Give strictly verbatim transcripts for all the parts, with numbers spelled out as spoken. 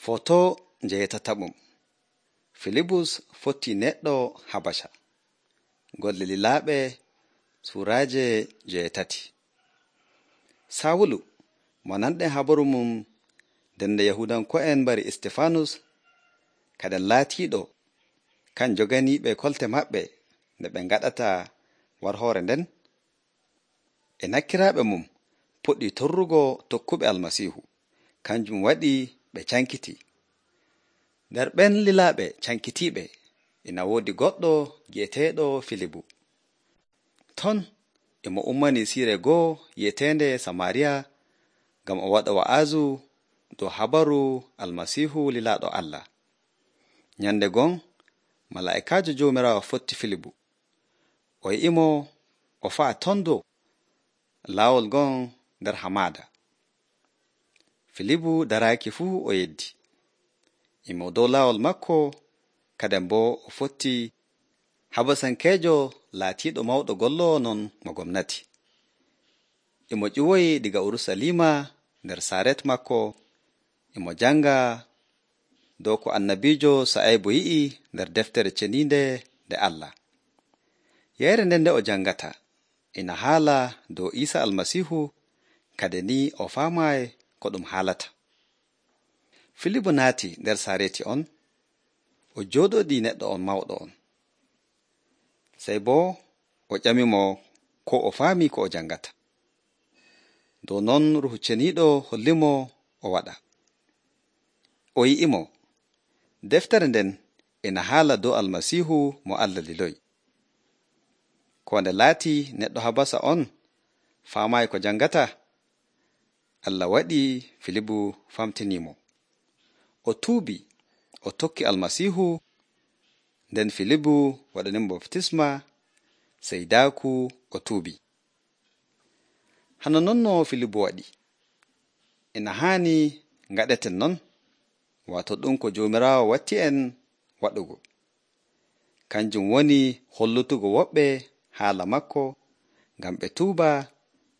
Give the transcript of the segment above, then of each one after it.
Foto jeetataɓum. Filibus fotti neɗɗo Habasha. Golle lilaaɓe suuraaje jeetati. Sawulu mo nanɗen habaru mum dende Yahudanko'en mbari Istefanus kaden laatiiɗo kan joganiiɓe kolte maɓɓe nde ɓe ngaɗata war hoore nden, e nakkiraaɓe mum puɗɗi torrugo tokkuɓe Almasiihu, kanjum waɗi ɓe cankiti. Nder ɓen lilaaɓe cankitiiɓe ina woodi goɗɗo gi'eteeɗo Filibu. Ton e mo ummanii siire goo yi'eteende Samaariya ngam o waɗa wa'aazu dow habaru Almasiihu lilaaɗo Allah. Nyande gon malaa'ikaajo Joomiraawo fotti Filibu. O yi'imo o fa'a ton dow laawol gon nder hamaada. Filibu daraaki fuu o yeddi. Imo dow laawol makko kadem boo o fotti Habasankeejo laatiiɗo mawɗo golloowo non mo gomnati. Imo ƴiwoyi diga Urusalima nder saaret makko, imo janga dow ko annabiijo Sa'aybu yi'i nder deftere ceniinde nde Allah. Yeere nden nde o jangata ina haala dow Iisa Almasiihu, kade ni o faamaay ko ɗum haalata. Filibu naati nder saareti on, o jooɗoɗi neɗɗo on mawɗo on. Sey boo o ƴamimo ko o faami ko o jangata. Dow non Ruuhu Ceniiɗo hollimo o waɗa. O yi'imo, deftere nden ina haala dow Almasiihu mo Allah liloyi. Ko nde laati neɗɗo Habasa on faamaayi ko jangata, Allah waɗi Filibu famtinimo. O tuubi, o tokki Almasiihu, nden Filibu waɗanimo baftisma, sey daaku o tuubi. Hano non no Filibu waɗi. Ina haani ngaɗeten non, waato ɗum ko Joomiraawo watti en waɗugo. Kanjum woni hollutugo woɓɓe haala makko, ngam ɓe tuuba,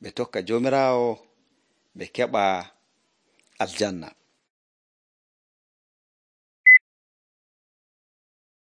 ɓe tokka Joomiraawo, ɓe keɓa aljanna.